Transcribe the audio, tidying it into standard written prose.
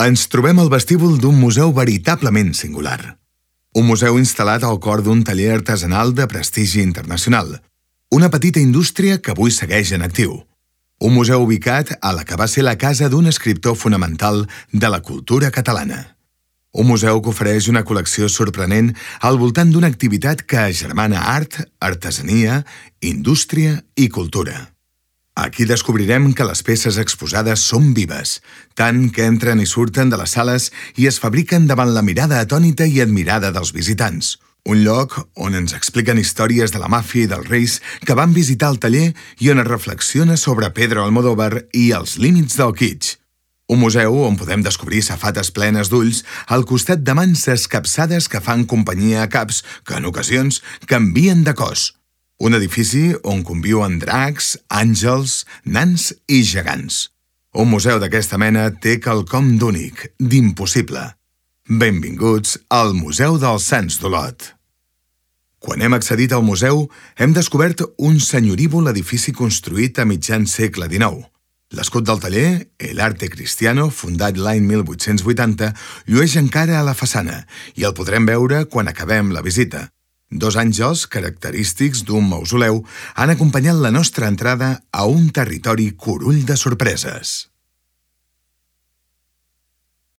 Ens trobem al vestíbul d'un museu veritablement singular. Un museu instal·lat al cor d'un taller artesanal de prestigi internacional. Una petita indústria que avui segueix en actiu. Un museu ubicat a la que va ser la casa d'un escriptor fonamental de la cultura catalana. Un museu que ofereix una col·lecció sorprenent al voltant d'una activitat que agermana art, artesania, indústria i cultura. Aquí descobrirem que les peces exposades són vives, tant que entren i surten de les sales i es fabriquen davant la mirada atònita i admirada dels visitants. Un lloc on ens expliquen històries de la màfia i dels reis que van visitar el taller i on es reflexiona sobre Pedro Almodóvar i els límits del kitsch. Un museu on podem descobrir safates plenes d'ulls al costat de mans escapçades que fan companyia a caps que en ocasions canvien de cos. Un edifici on conviuen dracs, àngels, nans i gegants. Un museu d'aquesta mena té quelcom d'únic, d'impossible. Benvinguts al Museu dels Sants d'Olot. Quan hem accedit al museu, hem descobert un senyorívol edifici construït a mitjan segle XIX. L'escut del taller, el Arte Cristiano, fundat l'any 1880, llueix encara a la façana i el podrem veure quan acabem la visita. Dos àngels, característics d'un mausoleu, han acompanyat la nostra entrada a un territori curull de sorpreses.